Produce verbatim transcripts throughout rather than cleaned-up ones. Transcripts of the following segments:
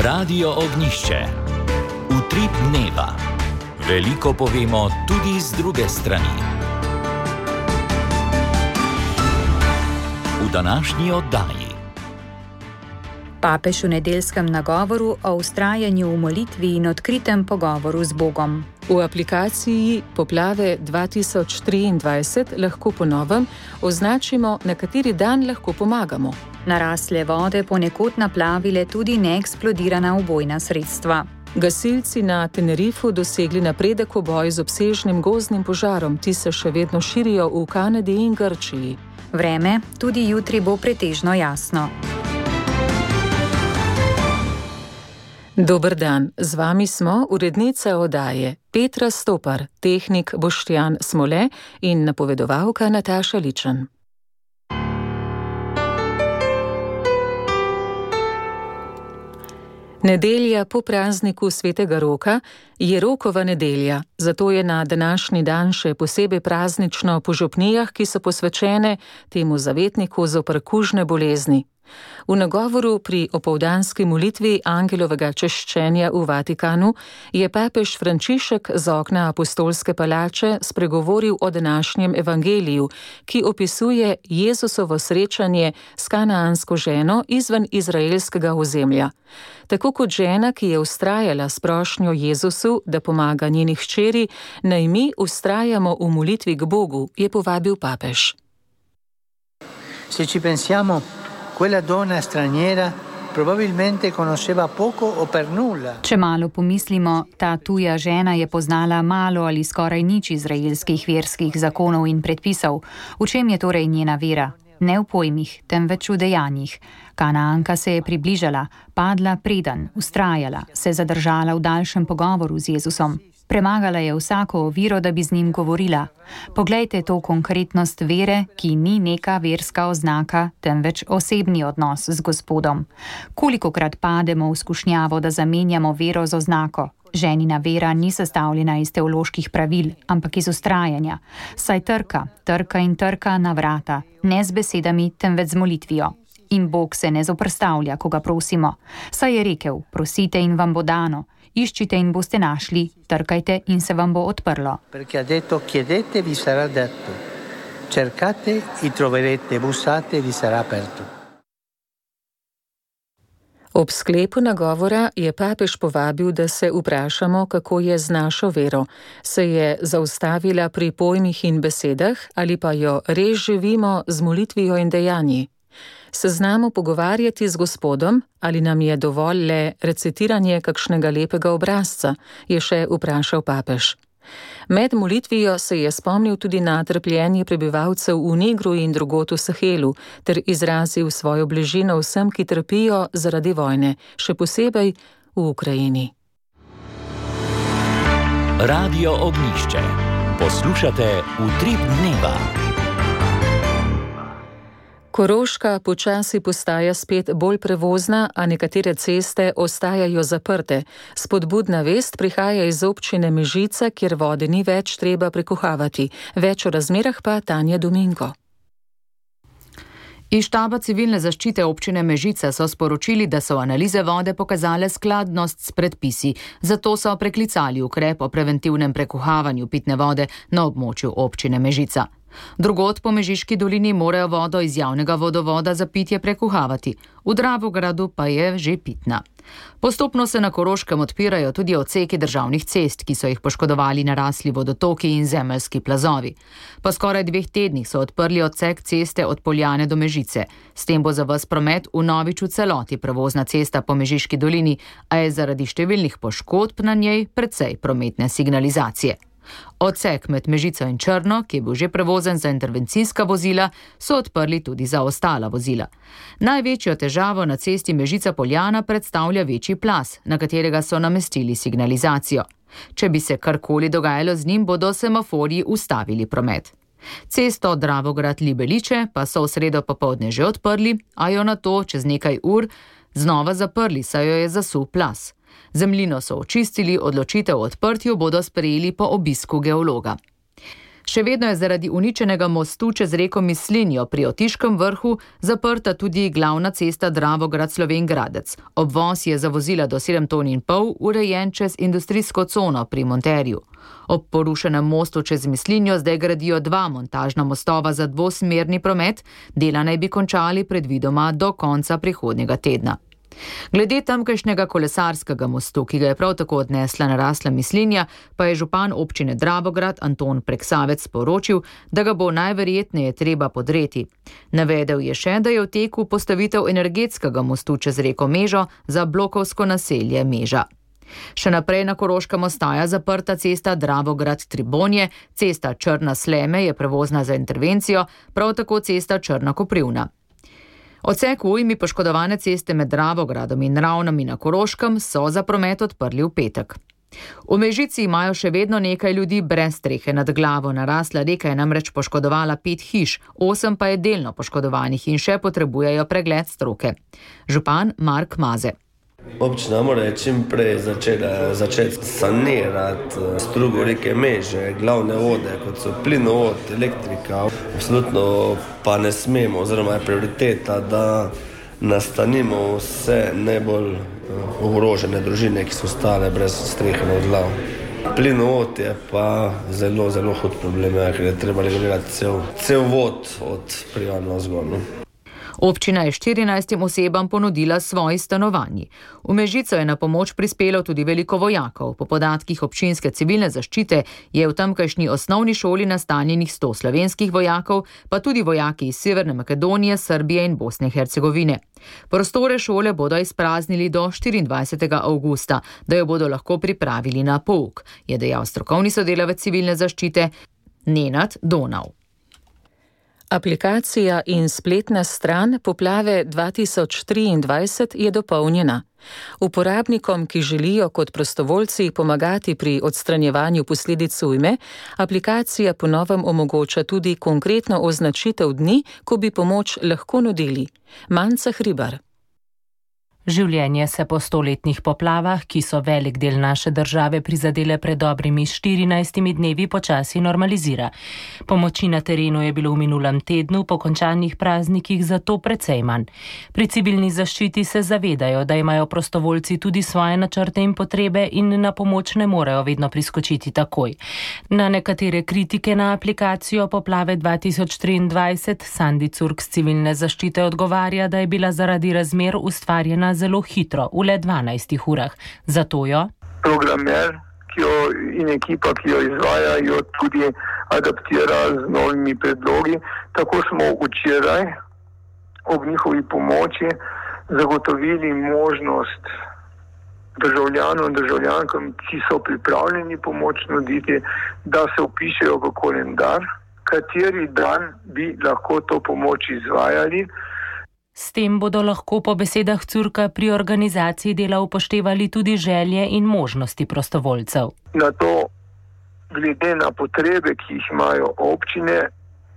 Radio Ognišče. Utrip dneva. Veliko povemo tudi z druge strani. V današnji oddaji. Papež v nedeljskem nagovoru o vztrajanju v molitvi in odkritem pogovoru z Bogom. V aplikaciji Poplave dva tisoč triindvajset lahko po novem označimo, na kateri dan lahko pomagamo. Narasle vode ponekod naplavile tudi neeksplodirana ubojna sredstva. Gasilci na Tenerifu dosegli napredek v boju z obsežnim gozdnim požarom, ti se še vedno širijo v Kanadi in Grčiji. Vreme tudi jutri bo pretežno jasno. Dober dan, z vami smo urednica oddaje Petra Stopar, tehnik Boštjan Smole in napovedovalka Nataša Ličen. Nedelja po prazniku svetega Roka je Rokova nedelja, zato je na današnji dan še posebej praznično po župnijah, ki so posvečene temu zavetniku zoper kužne bolezni. V nagovoru pri opoldanski molitvi angelovega češčenja v Vatikanu je papež Frančišek z okna apostolske palače spregovoril o današnjem evangeliju, ki opisuje Jezusovo srečanje s kanaansko ženo izven izraelskega ozemlja. Tako kot žena, ki je vztrajala s prošnjo Jezusu, da pomaga njeni hčeri, naj mi vztrajamo v molitvi k Bogu, je povabil papež. Se ci pensiamo, quella donna straniera probabilmente conosceva poco o per nulla. Če malo pomislimo, ta tuja žena je poznala malo ali skoraj nič izraelskih verskih zakonov in predpisov. V čem je torej njena vera? Ne v pojmih, temveč v dejanjih. Kanaanka se je približala, padla preden, vztrajala, se zadržala v daljšem pogovoru z Jezusom. Premagala je vsako oviro, da bi z njim govorila. Poglejte to konkretnost vere, ki ni neka verska oznaka, temveč osebni odnos z Gospodom. Kolikokrat pademo v skušnjavo, da zamenjamo vero z oznako? Ženina vera ni sestavljena iz teoloških pravil, ampak iz vztrajanja. Saj trka, trka in trka na vrata, ne z besedami, temveč z molitvijo. In Bog se ne zoprstavlja, ko ga prosimo. Saj je rekel, prosite in vam bo dano. Iščite in boste našli, trkajte in se vam bo odprlo. Perché ha detto chiedete vi sarà dato, cercate e troverete, bussate vi sarà aperto. Ob sklepu nagovora je papež povabil, da se vprašamo, kako je z našo vero. Se je zaustavila pri pojmih in besedah ali pa jo res živimo z molitvijo in dejanji? Se znamo pogovarjati z Gospodom ali nam je dovolj le recitiranje kakšnega lepega obrazca, je še vprašal papež. Med molitvijo se je spomnil tudi na trpljenje prebivalcev v Nigru in drugod v Sahelu ter izrazil svojo bližino vsem, ki trpijo zaradi vojne, še posebej v Ukrajini. Radio Ognišče. Poslušate Utrip dneva. Koroška počasi postaja spet bolj prevozna, a nekatere ceste ostajajo zaprte. Spodbudna vest prihaja iz občine Mežica, kjer vode ni več treba prekuhavati. Več o razmerah pa Tanja Domingo. Iz štaba civilne zaščite občine Mežica so sporočili, da so analize vode pokazale skladnost s predpisi, zato so preklicali ukrep o preventivnem prekuhavanju pitne vode na območju občine Mežica. Drugod po Mežiški dolini morajo vodo iz javnega vodovoda za pitje prekuhavati, v Dravogradu pa je že pitna. Postopno se na Koroškem odpirajo tudi odseki državnih cest, ki so jih poškodovali narasli vodotoki in zemeljski plazovi. Po skoraj dveh tednih so odprli odsek ceste od Poljane do Mežice. S tem bo za ves promet vnovič v celoti prevozna cesta po Mežiški dolini, a je zaradi številnih poškodb na njej precej prometne signalizacije. Odsek med Mežico in Črno, ki je bil že prevozen za intervencijska vozila, so odprli tudi za ostala vozila. Največjo težavo na cesti Mežica-Poljana predstavlja večji plaz, na katerega so namestili signalizacijo. Če bi se karkoli dogajalo z njim, bodo semaforji ustavili promet. Cesto Dravograd-Libeliče pa so v sredo popoldne že odprli, a jo nato čez nekaj ur znova zaprli, saj jo je zasul plaz. Zemljino so očistili, odločitev o odprtju bodo sprejeli po obisku geologa. Še vedno je zaradi uničenega mostu čez reko Mislinjo pri Otiškem vrhu zaprta tudi glavna cesta Dravograd-Slovenj Gradec. Obvoz je za vozila do sedem ton in pol urejen čez industrijsko cono pri Monterju. Ob porušenem mostu čez Mislinjo zdaj gradijo dva montažna mostova za dvosmerni promet, dela naj bi končali predvidoma do konca prihodnjega tedna. Glede tamkajšnjega kolesarskega mostu, ki ga je prav tako odnesla narasla Mislinja, pa je župan občine Dravograd Anton Preksavec sporočil, da ga bo najverjetneje treba podreti. Navedel je še, da je v teku postavitev energetskega mostu čez reko Mežo za blokovsko naselje Meža. Še naprej na Koroškem ostaja zaprta cesta Dravograd-Tribonje, cesta Črna-Sleme je prevozna za intervencijo, prav tako cesta Črna-Koprivna. Odsek v ujmi poškodovane ceste med Dravogradom in Ravnami na Koroškem so za promet odprli v petek. V Mežici imajo še vedno nekaj ljudi brez strehe nad glavo. Narasla reka je namreč poškodovala pet hiš, osem pa je delno poškodovanih in še potrebujejo pregled stroke. Župan Mark Maze. Občina mora čim prej začeti, začeti sanirati strugo reke Meže, glavne vode, kot so plinovod, elektrika. Absolutno pa ne smemo, oziroma je prioriteta, da nastanimo vse najbolj ogrožene družine, ki so ostale brez strehe nad glavo. Plinovod je pa zelo, zelo hud problem, ker je treba regulirati cel, cel vod od Prijan navzgor. Občina je štirinajstim osebam ponudila svoji stanovanji. V Mežico je na pomoč prispelo tudi veliko vojakov. Po podatkih občinske civilne zaščite je v tamkajšnji osnovni šoli nastanjenih sto slovenskih vojakov, pa tudi vojaki iz Severne Makedonije, Srbije in Bosne in Hercegovine. Prostore šole bodo izpraznili do štiriindvajsetega avgusta, da jo bodo lahko pripravili na pouk, je dejal strokovni sodelavec civilne zaščite Nenad Donau. Aplikacija in spletna stran Poplave dva tisoč triindvajset je dopolnjena. Uporabnikom, ki želijo kot prostovoljci pomagati pri odstranjevanju posledic ujme, aplikacija po novem omogoča tudi konkretno označitev dni, ko bi pomoč lahko nudili. Manca Hribar. Življenje se po stoletnih poplavah, ki so velik del naše države prizadele pred dobrimi štirinajstimi dnevi, počasi normalizira. Pomoči na terenu je bilo v minulem tednu po končanih praznikih zato precej manj. Pri civilni zaščiti se zavedajo, da imajo prostovoljci tudi svoje načrte in potrebe in na pomoč ne morejo vedno priskočiti takoj. Na nekatere kritike na aplikacijo Poplave dva tisoč triindvajset Sandi Curk z civilne zaščite odgovarja, da je bila zaradi razmer ustvarjena zelo hitro, v le dvanajstih urah. Zato jo programer ki jo, in ekipa, ki jo izvaja, jo tudi adaptira z novimi predlogi. Tako smo včeraj ob njihovi pomoči zagotovili možnost državljanom in državljankam, ki so pripravljeni pomoč nuditi, da se vpišejo v kalendar, kateri dan bi lahko to pomoč izvajali. S tem bodo lahko po besedah Curka pri organizaciji dela upoštevali tudi želje in možnosti prostovoljcev. Na to, glede na potrebe, ki jih imajo občine,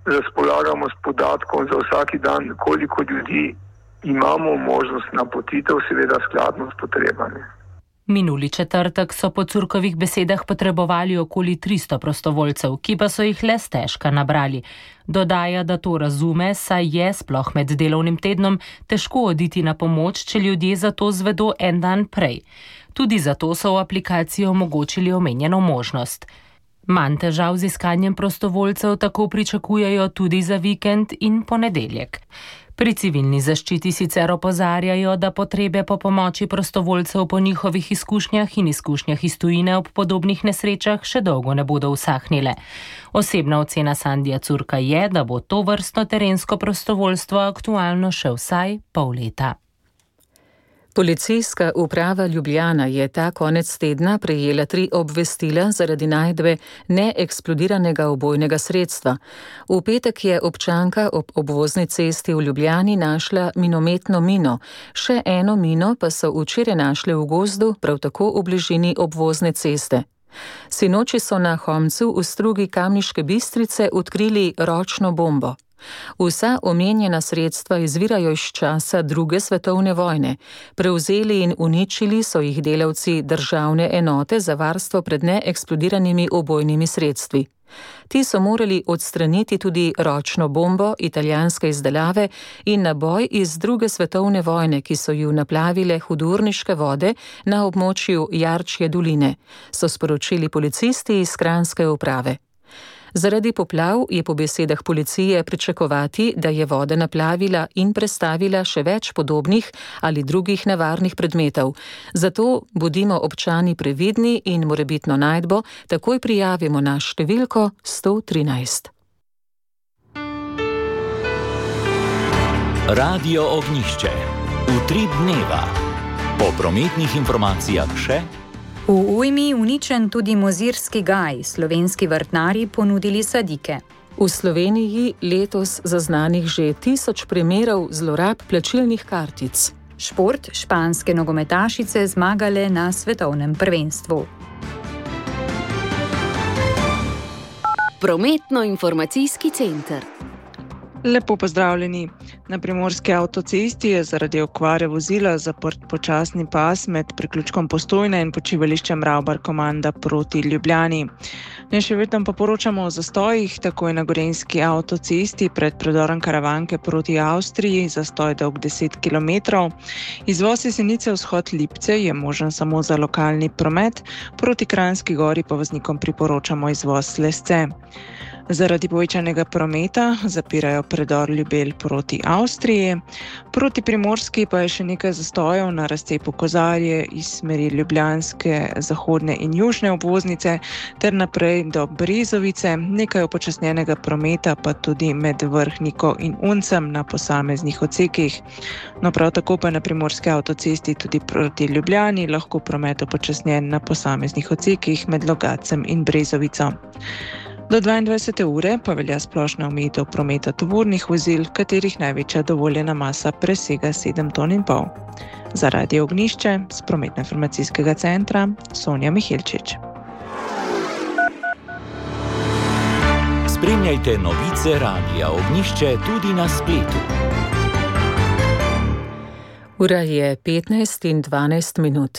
razpolagamo s podatkom za vsaki dan, koliko ljudi imamo možnost napotitev, seveda skladno s potrebami. Minuli četrtek so po Curkovih besedah potrebovali okoli tristo prostovoljcev, ki pa so jih le stežka nabrali. Dodaja, da to razume, saj je, sploh med delovnim tednom, težko oditi na pomoč, če ljudje za to zvedo en dan prej. Tudi zato so v aplikaciji omogočili omenjeno možnost. Manj težav z iskanjem prostovoljcev tako pričakujejo tudi za vikend in ponedeljek. Pri civilni zaščiti sicer opozarjajo, da potrebe po pomoči prostovoljcev po njihovih izkušnjah in izkušnjah iz tujine ob podobnih nesrečah še dolgo ne bodo usahnile. Osebna ocena Sandija Curka je, da bo to vrstno terensko prostovoljstvo aktualno še vsaj pol leta. Policijska uprava Ljubljana je ta konec tedna prejela tri obvestila zaradi najdbe neeksplodiranega ubojnega sredstva. V petek je občanka ob obvozni cesti v Ljubljani našla minometno mino, še eno mino pa so včeraj našli v gozdu, prav tako v bližini obvozne ceste. Sinoči so na Homcu v strugi Kamniške Bistrice odkrili ročno bombo. Vsa omenjena sredstva izvirajo iz časa druge svetovne vojne. Prevzeli in uničili so jih delavci državne enote za varstvo pred neeksplodiranimi ubojnimi sredstvi. Ti so morali odstraniti tudi ročno bombo italijanske izdelave in naboj iz druge svetovne vojne, ki so ju naplavile hudourniške vode na območju Jarčje doline, so sporočili policisti iz kranjske uprave. Zaradi poplav je po besedah policije pričakovati, da je voda naplavila in prestavila še več podobnih ali drugih nevarnih predmetov. Zato bodimo občani previdni in morebitno najdbo takoj prijavimo na številko sto trinajst. Radio Ognjišče. Utrip dneva. Po prometnih informacijah še. V ujmi uničen tudi Mozirski gaj, slovenski vrtnarji ponudili sadike. V Sloveniji letos zaznanih že tisoč primerov zlorab plačilnih kartic. Šport, španske nogometašice zmagale na svetovnem prvenstvu. Prometno-informacijski center. Lepo pozdravljeni. Na primorski avtocesti je zaradi okvare vozila zaprt počasni pas med priključkom Postojna in počivališčem Ravbar-Komanda proti Ljubljani. Ne še vedno pa poročamo o zastojih, tako je na gorenjski avtocesti pred predorom Karavanke proti Avstriji, zastoj dolg deset kilometrov. Izvoz Jesenice vzhod Lipce je možen samo za lokalni promet, proti Kranjski gori pa voznikom priporočamo izvoz Lesce. Zaradi povečanega prometa zapirajo predor Ljubelj proti Avstriji, proti Primorski pa je še nekaj zastojev na razcepu Kozarje iz smeri ljubljanske, zahodne in južne obvoznice ter naprej do Brezovice, nekaj upočasnjenega prometa pa tudi med Vrhniko in Uncem na posameznih odsekih. No, prav tako pa na primorski avtocesti tudi proti Ljubljani lahko promet upočasnjen na posameznih odsekih med Logacem in Brezovico. Do dvaindvajsete ure pa velja splošna omejitev prometa tovornih vozil, katerih največja dovoljena masa presega sedem ton in pol. Za Radio Ognjišče z prometno-informacijskega centra Sonja Miheličič. Spremljajte novice Radia Ognjišče tudi na spletu. Ura je petnajst in dvanajst minut.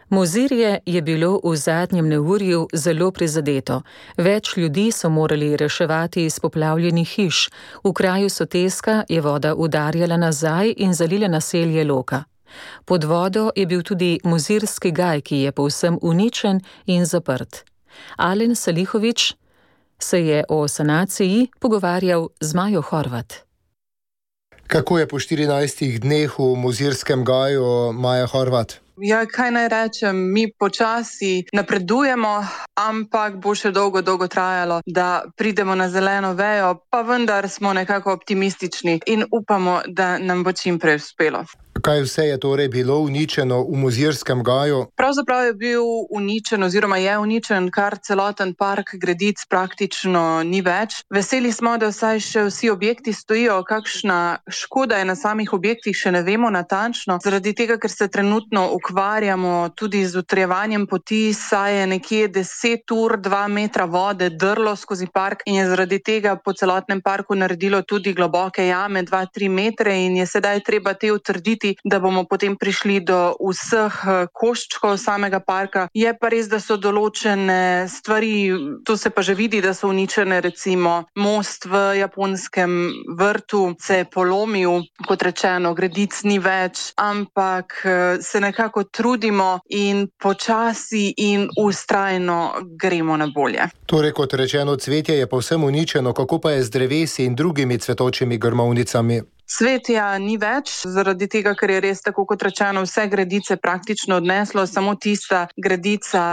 Mozirje je bilo v zadnjem neurju zelo prizadeto. Več ljudi so morali reševati iz poplavljenih hiš. V kraju Soteska je voda udarjala nazaj in zalila naselje Loka. Pod vodo je bil tudi Mozirski gaj, ki je povsem uničen in zaprt. Alen Salihovič se je o sanaciji pogovarjal z Majo Horvat. Kako je po štirinajstih dneh v Mozirskem gaju, Maja Horvat? Ja, kaj naj rečem, mi počasi napredujemo, ampak bo še dolgo, dolgo trajalo, da pridemo na zeleno vejo, pa vendar smo nekako optimistični in upamo, da nam bo čim prej uspelo. Kaj vse je torej bilo uničeno v Mozirskem gaju? Pravzaprav je bil uničen oziroma je uničen kar celoten park Gredic, praktično ni več. Veseli smo, da vsaj še vsi objekti stojijo, kakšna škoda je na samih objektih, še ne vemo natančno, zaradi tega, ker se trenutno ukvarjamo tudi z utrjevanjem poti, saj je nekje deset ur dva metra vode drlo skozi park in je zaradi tega po celotnem parku naredilo tudi globoke jame, dva, tri metre in je sedaj treba te utrditi, da bomo potem prišli do vseh koščkov samega parka. Je pa res, da so določene stvari, to se pa že vidi, da so uničene, recimo most v japonskem vrtu se je polomil, kot rečeno, Gredic ni več, ampak se nekako trudimo in počasi in vztrajno gremo na bolje. Torej, kot rečeno, cvetje je povsem uničeno, kako pa je z drevesi in drugimi cvetočimi grmovnicami? Cvetja ni več, zaradi tega, ker je res tako, kot rečeno, vse gredice praktično odneslo, samo tista gredica,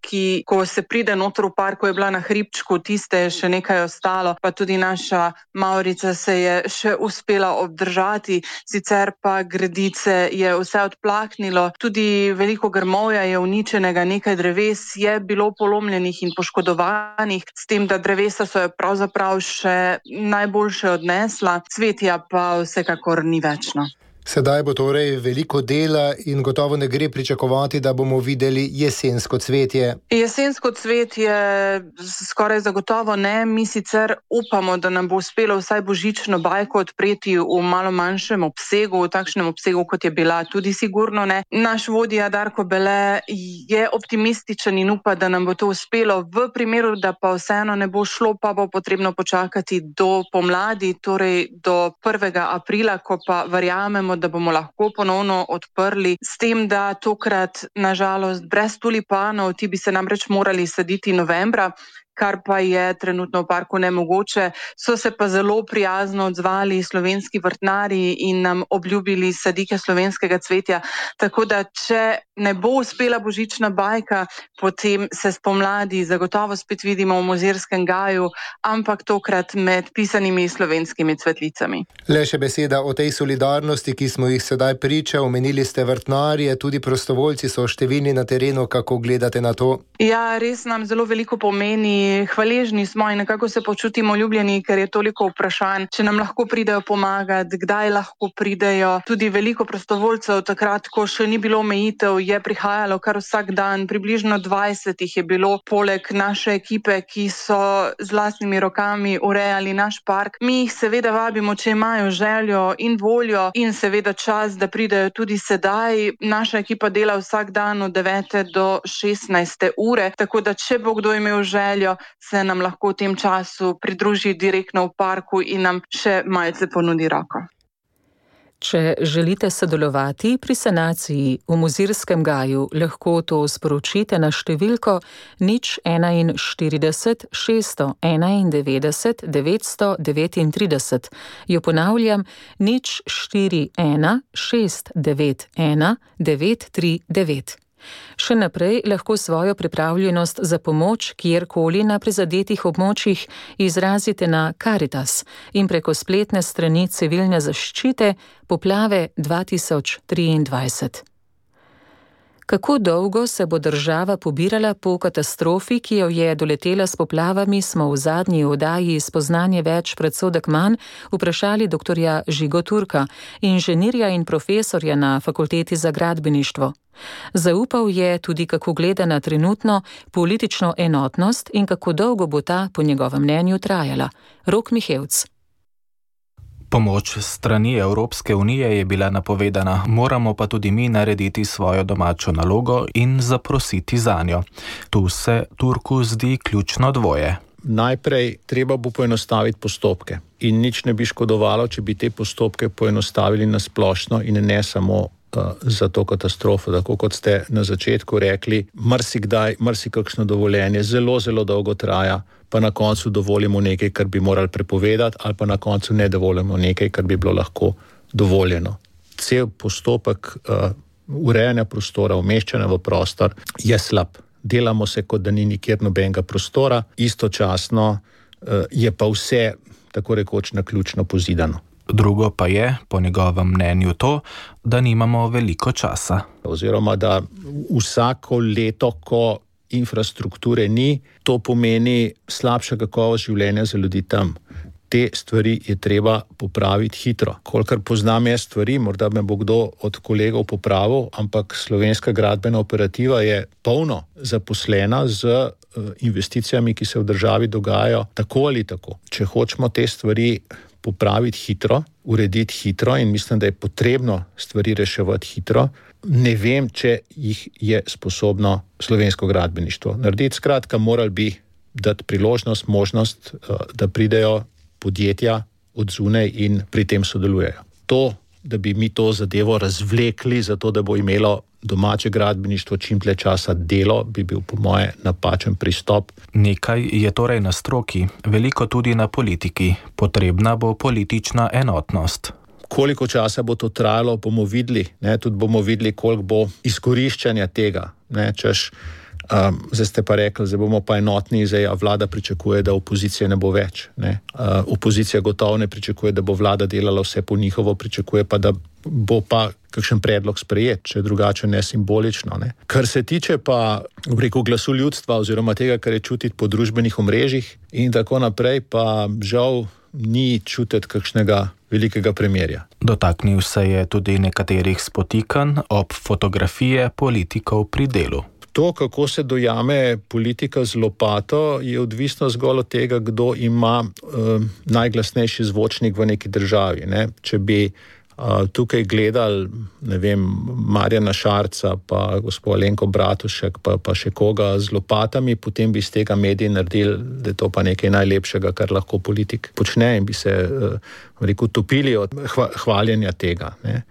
ki, ko se pride noter v parku, je bila na hribčku, tiste je še nekaj ostalo, pa tudi naša Maurica se je še uspela obdržati, sicer pa gredice je vse odplaknilo, tudi veliko grmovja je uničenega, nekaj dreves je bilo polomljenih in poškodovanih, s tem, da drevesa so jo pravzaprav še najboljše odnesla, cvetja pa vsekakor ni več. No. Sedaj bo torej veliko dela in gotovo ne gre pričakovati, da bomo videli jesensko cvetje. Jesensko cvetje skoraj zagotovo ne. Mi sicer upamo, da nam bo uspelo vsaj božično bajko odpreti v malo manjšem obsegu, v takšnem obsegu, kot je bila, tudi sigurno ne. Naš vodja Darko Bele je optimističen in upa, da nam bo to uspelo. V primeru, da pa vseeno ne bo šlo, pa bo potrebno počakati do pomladi, torej do prvega aprila, ko pa verjamemo, da bomo lahko ponovno odprli, s tem, da tokrat nažalost brez tulipanov, ti bi se namreč morali saditi novembra, kar pa je trenutno v parku nemogoče. So se pa zelo prijazno odzvali slovenski vrtnarji in nam obljubili sadike slovenskega cvetja, tako da če ne bo uspela božična bajka, potem se spomladi zagotovo spet vidimo v Mozirskem gaju, ampak tokrat med pisanimi slovenskimi cvetlicami. Le še beseda o tej solidarnosti, ki smo jih sedaj priča, omenili ste vrtnarje, tudi prostovoljci so številni na terenu, kako gledate na to? Ja, res nam zelo veliko pomeni. Hvaležni smo in nekako se počutimo ljubljeni, ker je toliko vprašanj, če nam lahko pridejo pomagati, kdaj lahko pridejo. Tudi veliko prostovoljcev takrat, ko še ni bilo omejitev, je prihajalo kar vsak dan. Približno dvajset jih je bilo poleg naše ekipe, ki so z lastnimi rokami urejali naš park. Mi jih seveda vabimo, če imajo željo in voljo in seveda čas, da pridejo tudi sedaj. Naša ekipa dela vsak dan od devete do šestnajste ure, tako da če bo kdo imel željo, se nam lahko v tem času pridruži direktno v parku in nam še malce ponudi roko. Če želite sodelovati pri sanaciji v Mozirskem gaju, lahko to sporočite na številko nič štirideset šeststo enaindevetdeset devetsto devetintrideset. Jo ponavljam, nič štiri ena šest devet ena devet tri devet. Še naprej lahko svojo pripravljenost za pomoč kjerkoli na prizadetih območjih izrazite na Karitas in preko spletne strani civilne zaščite Poplave dva tisoč triindvajset. Kako dolgo se bo država pobirala po katastrofi, ki jo je doletela s poplavami, smo v zadnji oddaji Spoznanje več, predsodek manj vprašali doktorja Žigo Turka, inženirja in profesorja na Fakulteti za gradbeništvo. Zaupal je tudi, kako gleda na trenutno politično enotnost in kako dolgo bo ta, po njegovem mnenju, trajala. Rok Mihevc. Pomoč strani Evropske unije je bila napovedana, moramo pa tudi mi narediti svojo domačo nalogo in zaprositi zanjo. Tu se Turku zdi ključno dvoje. Najprej treba bo poenostaviti postopke in nič ne bi škodovalo, če bi te postopke poenostavili na splošno in ne samo uh, za to katastrofo. Tako kot ste na začetku rekli, marsikdaj, marsikakšno dovoljenje zelo, zelo dolgo traja, pa na koncu dovolimo nekaj, kar bi morali prepovedati, ali pa na koncu ne dovolimo nekaj, kar bi bilo lahko dovoljeno. Cel postopek uh, urejanja prostora, umeščanja v prostor je slab. Delamo se, kot da ni nikjer nobenega prostora, istočasno uh, je pa vse tako rekoč naključno pozidano. Drugo pa je, po njegovem mnenju, to, da nimamo veliko časa. Oziroma, da vsako leto, ko infrastrukture ni, to pomeni slabša kakovost življenja za ljudi tam. Te stvari je treba popraviti hitro. Kolikor poznam jaz stvari, morda me bo kdo od kolegov popravil, ampak slovenska gradbena operativa je polno zaposlena z investicijami, ki se v državi dogajajo tako ali tako. Če hočemo te stvari popraviti hitro, urediti hitro in mislim, da je potrebno stvari reševati hitro, ne vem, če jih je sposobno slovensko gradbeništvo narediti. Skratka, morali bi dati priložnost, možnost, da pridejo podjetja od zunaj in pri tem sodelujejo. To, da bi mi to zadevo razvlekli, zato da bo imelo domače gradbeništvo čim dlje časa delo, bi bil po moje napačen pristop. Nekaj je torej na stroki, veliko tudi na politiki. Potrebna bo politična enotnost. Koliko časa bo to trajalo, bomo videli. Ne? Tudi bomo videli, koliko bo izkoriščanja tega. Ne? Češ, um, zdaj ste pa rekli, zdaj bomo pa enotni, zdaj vlada pričakuje, da opozicije ne bo več. Ne? Uh, opozicija gotovo ne pričakuje, da bo vlada delala vse po njihovo, pričakuje pa, da bo pa kakšen predlog sprejet, če drugače ne simbolično. Ne? Kar se tiče pa rekel, glasu ljudstva oziroma tega, kar je čutiti po družbenih omrežjih in tako naprej, pa žal ni čutiti kakšnega velikega premirja. Dotaknil se je tudi nekaterih spotikanj ob fotografije politikov pri delu. To, kako se dojame politika z lopato, je odvisno zgolj od tega, kdo ima uh, najglasnejši zvočnik v neki državi. Ne? Če bi uh, tukaj gledali, ne vem, Marjana Šarca, pa gospod Alenko Bratušek, pa, pa še koga z lopatami, potem bi iz tega mediji naredili, da je to pa nekaj najlepšega, kar lahko politik počne, in bi se uh, rekel, topili od hva, hvaljenja tega. Ne?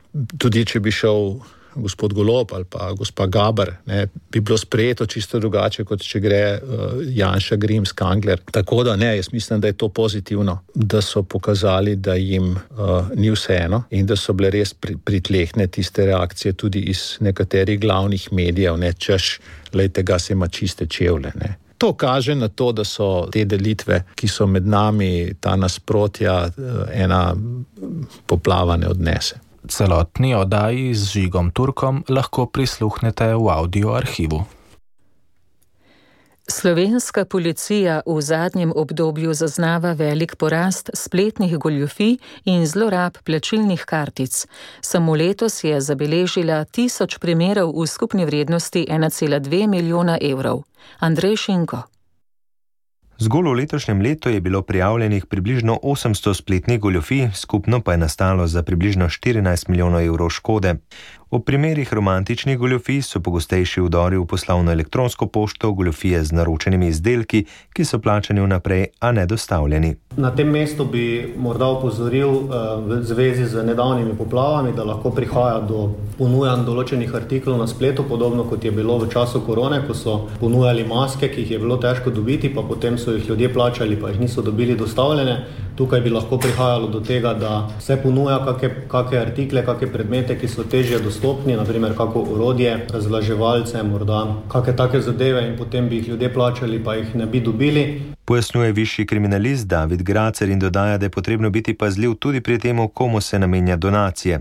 Tudi če bi šel gospod Golob ali pa gospa Gaber, ne, bi bilo sprejeto čisto drugače, kot če gre uh, Janša, Grims, Kangler. Tako da ne, jaz mislim, da je to pozitivno, da so pokazali, da jim uh, ni vseeno in da so bile res pri, pritlehne tiste reakcije tudi iz nekaterih glavnih medijev, ne, češ, lejte ga se ima čiste čevlje, ne. To kaže na to, da so te delitve, ki so med nami, ta nasprotja, ena poplava ne odnese. Celotni oddaji z Žigom Turkom lahko prisluhnete v audio arhivu. Slovenska policija v zadnjem obdobju zaznava velik porast spletnih goljufij in zlorab plačilnih kartic. Samo letos je zabeležila tisoč primerov v skupni vrednosti ena cela dve milijona evrov. Andrej Šinko. Zgolj v letošnjem letu je bilo prijavljenih približno osemsto spletnih goljufij, skupno pa je nastalo za približno štirinajst milijonov evrov škode. V primerih romantičnih goljufij so pogostejši vdori v poslovno elektronsko pošto, goljufije z naročenimi izdelki, ki so plačani vnaprej, a ne dostavljeni. Na tem mestu bi morda opozoril v zvezi z nedavnimi poplavami, da lahko prihaja do ponujanj določenih artiklov na spletu, podobno kot je bilo v času korone, ko so ponujali maske, ki jih je bilo težko dobiti, pa potem so jih ljudje plačali, pa jih niso dobili dostavljene. Tukaj bi lahko prihajalo do tega, da se ponuja kakšne, kakšne artikle, kakšne predmete, ki so težje dostopni, naprimer kako orodje, razvlaževalce, morda kakšne take zadeve, in potem bi jih ljudje plačali, pa jih ne bi dobili. Pojasnjuje višji kriminalist David Gracer in dodaja, da je potrebno biti pazljiv tudi pri tem, komu se namenja donacije.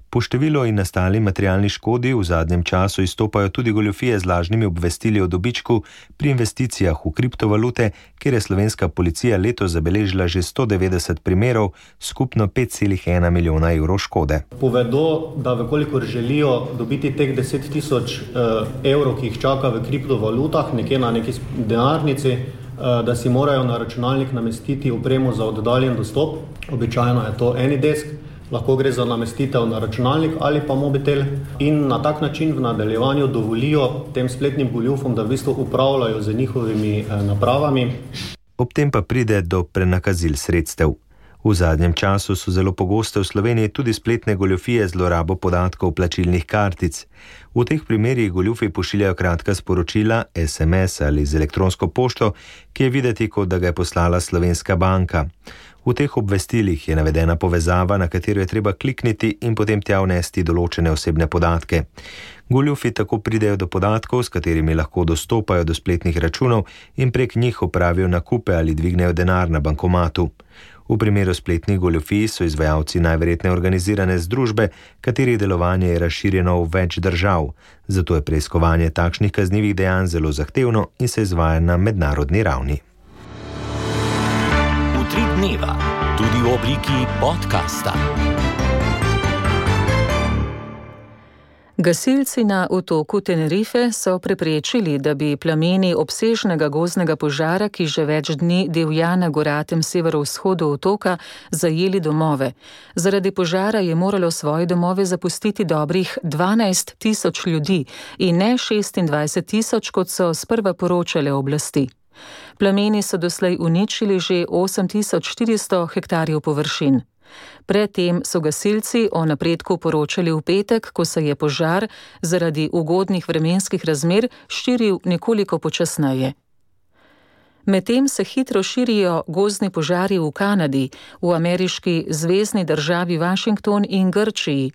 Po številu in nastali materialni škodi v zadnjem času izstopajo tudi goljufije z lažnimi obvestili o dobičku pri investicijah v kriptovalute, kjer je slovenska policija letos zabeležila že sto devetdeset primerov, skupno pet cela ena milijona evrov škode. Povedo, da vekolikor želijo dobiti teh deset tisoč evrov, ki jih čaka v kriptovalutah, nekje na neki denarnici, da si morajo na računalnik namestiti opremo za oddaljen dostop. Običajno je to AnyDesk. Lahko gre za namestitev na računalnik ali pa mobitel, in na tak način v nadaljevanju dovolijo tem spletnim goljufom, da v bistvu upravljajo z njihovimi napravami. Ob tem pa pride do prenakazil sredstev. V zadnjem času so zelo pogoste v Sloveniji tudi spletne goljufije z zlorabo podatkov plačilnih kartic. V teh primerih goljufi pošiljajo kratka sporočila, es em es ali z elektronsko pošto, ki je videti, kot da ga je poslala slovenska banka. V teh obvestilih je navedena povezava, na katero je treba klikniti in potem tja vnesti določene osebne podatke. Goljufi tako pridejo do podatkov, s katerimi lahko dostopajo do spletnih računov in prek njih opravijo nakupe ali dvignejo denar na bankomatu. V primeru spletnih goljufij so izvajalci najverjetneje organizirane združbe, katerih delovanje je razširjeno v več držav. Zato je preiskovanje takšnih kaznivih dejanj zelo zahtevno in se izvaja na mednarodni ravni. Tri dneva, tudi v obliki podcasta. Gasilci na otoku Tenerife so preprečili, da bi plameni obsežnega gozdnega požara, ki že več dni divja na goratem severovzhodu otoka, zajeli domove. Zaradi požara je moralo svoje domove zapustiti dobrih dvanajst tisoč ljudi in ne šestindvajset tisoč, kot so sprva poročale oblasti. Plameni so doslej uničili že osem tisoč štiristo hektarjev površin. Predtem so gasilci o napredku poročali v petek, ko se je požar zaradi ugodnih vremenskih razmer širil nekoliko počasneje. Medtem se hitro širijo gozdni požari v Kanadi, v ameriški zvezni državi Washington in Grčiji.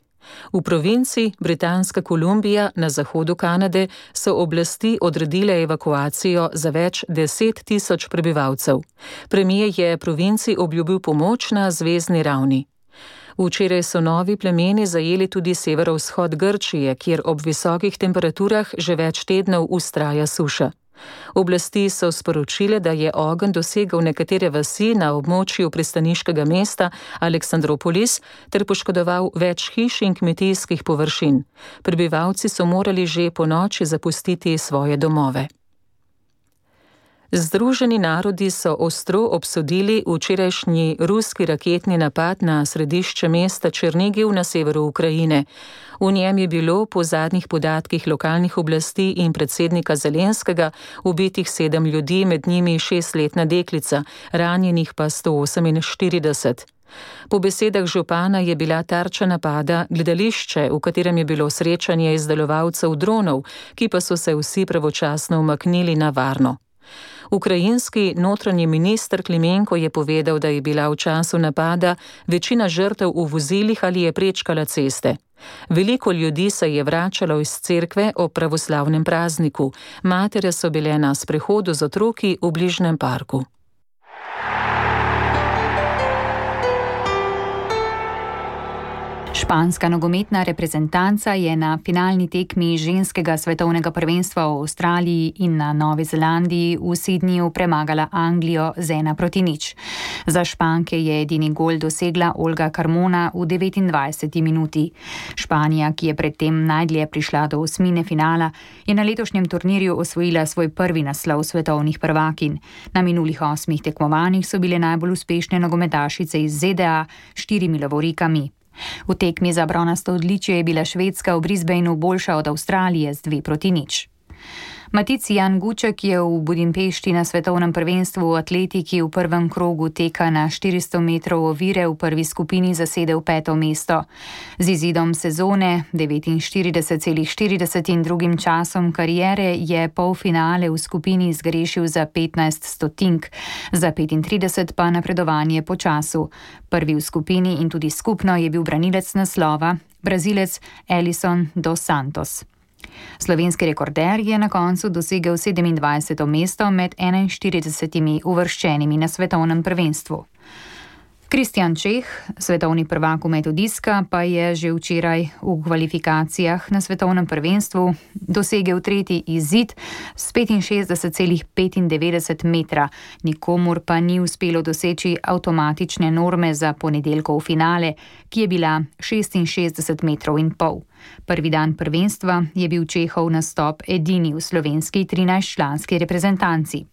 V provinci Britanska Kolumbija na zahodu Kanade so oblasti odredile evakuacijo za več deset tisoč prebivalcev. Premier je provinci obljubil pomoč na zvezni ravni. Včeraj so novi plemeni zajeli tudi severovzhod Grčije, kjer ob visokih temperaturah že več tednov vztraja suša. Oblasti so sporočile, da je ogenj dosegel nekatere vasi na območju pristaniškega mesta Aleksandropolis ter poškodoval več hiš in kmetijskih površin. Prebivalci so morali že ponoči zapustiti svoje domove. Združeni narodi so ostro obsodili včerajšnji ruski raketni napad na središče mesta Černigiv na severu Ukrajine. V njem je bilo po zadnjih podatkih lokalnih oblasti in predsednika Zelenskega ubitih sedem ljudi, med njimi šestletna deklica, ranjenih pa sto oseminštirideset. Po besedah župana je bila tarča napada gledališče, v katerem je bilo srečanje izdelovalcev dronov, ki pa so se vsi pravočasno umaknili na varno. Ukrajinski notranji minister Klimenko je povedal, da je bila v času napada večina žrtev v vozilih ali je prečkala ceste. Veliko ljudi se je vračalo iz cerkve ob pravoslavnem prazniku. Matere so bile na sprehodu z otroki v bližnjem parku. Španska nogometna reprezentanca je na finalni tekmi ženskega svetovnega prvenstva v Avstraliji in na Novi Zelandiji v Sydneyju premagala Anglijo z ena proti nič. Za Španke je edini gol dosegla Olga Carmona v devetindvajseti minuti. Španija, ki je predtem najdlje prišla do osmine finala, je na letošnjem turnirju osvojila svoj prvi naslov svetovnih prvakinj. Na minulih osmih tekmovanjih so bile najbolj uspešne nogometašice iz Z D A s štirimi lovorikami. V tekmi za bronasto odličje je bila Švedska v Brisbaneu boljša od Avstralije z dve proti nič. Matic Jan Guček je v Budimpešti na svetovnem prvenstvu v atletiki v prvem krogu teka na štiristo metrov ovire v prvi skupini zasedel peto mesto. Z izidom sezone devetinštirideset celih štirideset in drugim časom kariere je polfinale v skupini zgrešil za petnajst stotink, za petintrideset pa napredovanje po času. Prvi v skupini in tudi skupno je bil branilec naslova, Brazilec Elison dos Santos. Slovenski rekorder je na koncu dosegel sedemindvajseto mesto med enainštiridesetimi uvrščenimi na svetovnem prvenstvu. Kristjan Čeh, svetovni prvak v metu diska, pa je že včeraj v kvalifikacijah na svetovnem prvenstvu dosegel tretji izid s petinšestdeset celih petindevetdeset metra. Nikomur pa ni uspelo doseči avtomatične norme za ponedeljkov finale, ki je bila šestinšestdeset metrov in pol. Prvi dan prvenstva je bil Čehov nastop edini v slovenski trinajstčlanski reprezentanci.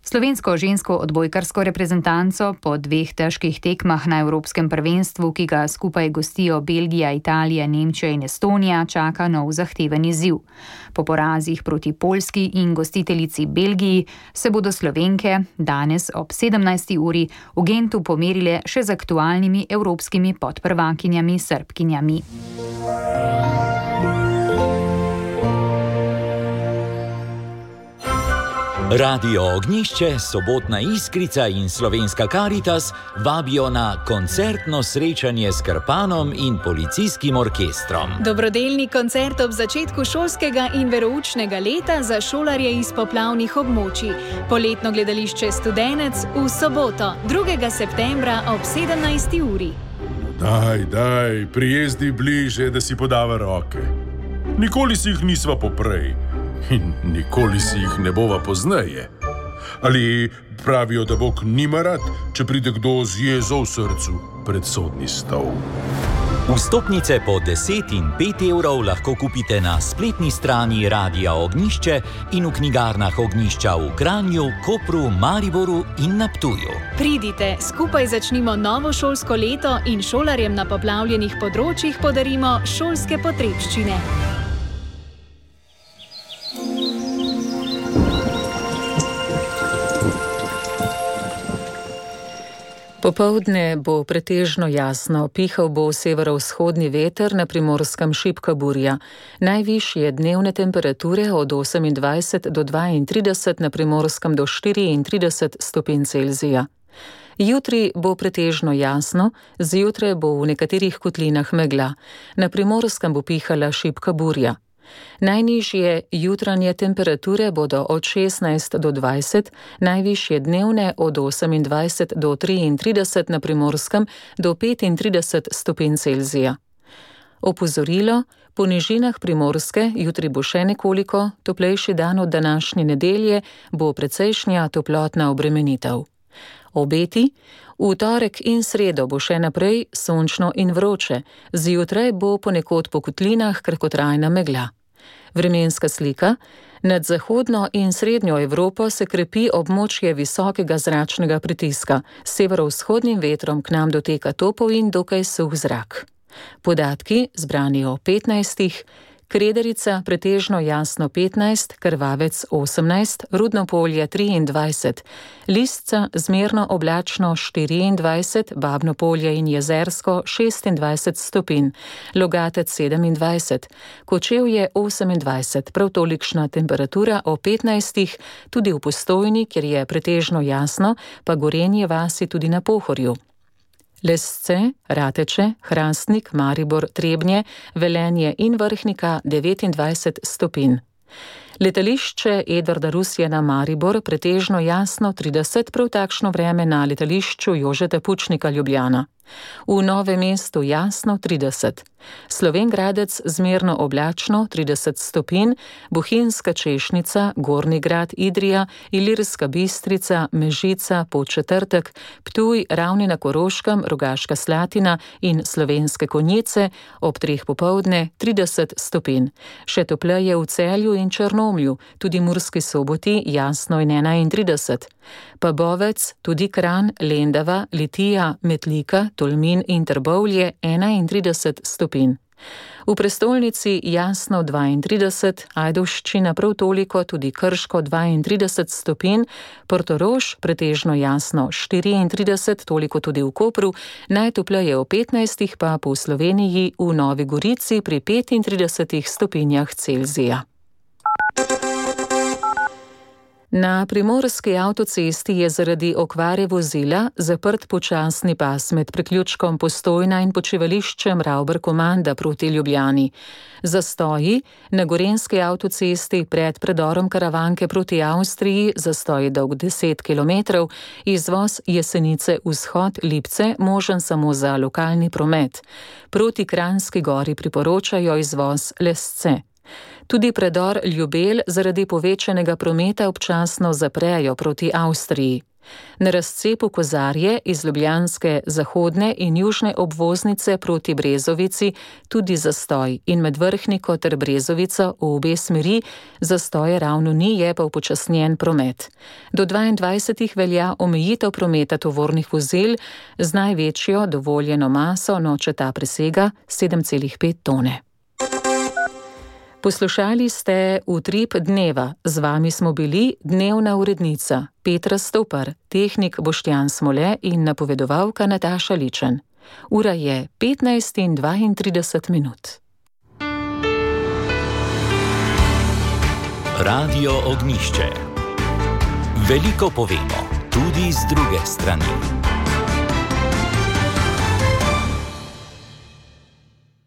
Slovensko žensko odbojkarsko reprezentanco po dveh težkih tekmah na Evropskem prvenstvu, ki ga skupaj gostijo Belgija, Italija, Nemčija in Estonija, čaka nov zahteven izziv. Po porazih proti Poljski in gostiteljici Belgiji se bodo Slovenke danes ob sedemnajsti uri v Gentu pomerile še z aktualnimi evropskimi podprvakinjami Srbkinjami. Radio Ognjišče, Sobotna Iskrica in Slovenska Karitas vabijo na koncertno srečanje s Krpanom in policijskim orkestrom. Dobrodelni koncert ob začetku šolskega in veroučnega leta za šolarje iz poplavnih območij. Poletno gledališče Studenec v soboto, drugega septembra ob sedemnajsti uri. Daj, daj, prijezdi bliže, da si podava roke. Nikoli si jih nisva poprej. In nikoli si jih ne bova pozneje. Ali pravijo, da Bog nima rad, če pride kdo z jezo v srcu pred sodni stol. Vstopnice po deset in pet evrov lahko kupite na spletni strani Radia Ognjišče in v knjigarnah Ognjišča v Kranju, Kopru, Mariboru in na Ptuju. Pridite, skupaj začnimo novo šolsko leto in šolarjem na poplavljenih področjih podarimo šolske potrebščine. Popoldne bo pretežno jasno, pihal bo severovzhodni veter, na Primorskem šibka burja. Najvišje dnevne temperature od osemindvajset do dvaintrideset, na Primorskem do štiriintrideset stopinj Celzija. Jutri bo pretežno jasno, zjutraj bo v nekaterih kotlinah megla. Na Primorskem bo pihala šibka burja. Najnižje jutranje temperature bodo od šestnajst do dvajset, najvišje dnevne od osemindvajset do triintrideset, na Primorskem do petintrideset stopinj Celzija. Opozorilo: po nižinah Primorske jutri bo še nekoliko toplejši dan od današnje nedelje, bo precejšnja toplotna obremenitev. Obeti: v torek in sredo bo še naprej sončno in vroče, zjutraj bo ponekod po kotlinah kratkotrajna megla. Vremenska slika: nad zahodno in srednjo Evropo se krepi območje visokega zračnega pritiska, s severovzhodnim vetrom k nam doteka topel in dokaj suh zrak. Podatki zbrani o petnajstih: Krederica pretežno jasno petnajst, Krvavec osemnajst, Rudno Polje triindvajset, Lisca zmerno oblačno štiriindvajset, Babno Polje in Jezersko šestindvajset stopinj, Logatec sedemindvajset, Kočevje osemindvajset, prav tolikšna temperatura o petnajstih, tudi v Postojni, kjer je pretežno jasno, pa Gorenje vasi tudi na Pohorju. Lesce, Rateče, Hrastnik, Maribor, Trebnje, Velenje in Vrhnika devetindvajset stopinj. Letališče Edvarda Rusjana Maribor pretežno jasno trideset, prav takšno vreme na letališču Jožeta Pučnika Ljubljana. V Novem mestu jasno trideset. Slovenj Gradec zmerno oblačno trideset stopinj, Bohinjska Češnica, Gornji Grad, Idrija, Ilirska Bistrica, Mežica, Podčetrtek, Ptuj, Ravne na Koroškem, Rogaška Slatina in Slovenske Konjice ob treh popoldne trideset stopinj. Še topleje v Celju in Črnomlju, tudi Murski Soboti jasno in enaintrideset. Pa Bovec, tudi Kranj, Lendava, Litija, Metlika, Tolmin in Trbovlje enaintrideset stopinj. V prestolnici jasno dvaintrideset, Ajdovščina prav toliko, tudi Krško dvaintrideset stopinj, Portorož pretežno jasno štiriintrideset, toliko tudi v Kopru, najtopleje o petnajstih, pa po Sloveniji v Novi Gorici pri petintridesetih stopinjah Celzija. Na primorski avtocesti je zaradi okvare vozila zaprt počasni pas med priključkom Postojna in počivališčem Ravbar-Komanda proti Ljubljani. Zastoji na gorenjski avtocesti pred predorom Karavanke proti Avstriji, zastoj dolg deset kilometrov, izvoz Jesenice vzhod Lipce možen samo za lokalni promet. Proti Kranjski Gori priporočajo izvoz Lesce. Tudi predor Ljubelj zaradi povečanega prometa občasno zaprejo proti Avstriji. Na razcepu Kozarje iz ljubljanske zahodne in južne obvoznice proti Brezovici tudi zastoj in med Vrhniko ter Brezovico v obe smeri zastoje ravno ni, je pa upočasnjen promet. Do dvaindvajsetih velja omejitev prometa tovornih vozil z največjo dovoljeno maso, no če ta presega sedem celih pet tone. Poslušali ste Utrip dneva. Z vami smo bili dnevna urednica Petra Stopar, tehnik Boštjan Smole in napovedovalka Nataša Ličen. Ura je petnajst in dvaintrideset minut. Radio Ognjišče. Veliko povemo, tudi z druge strani.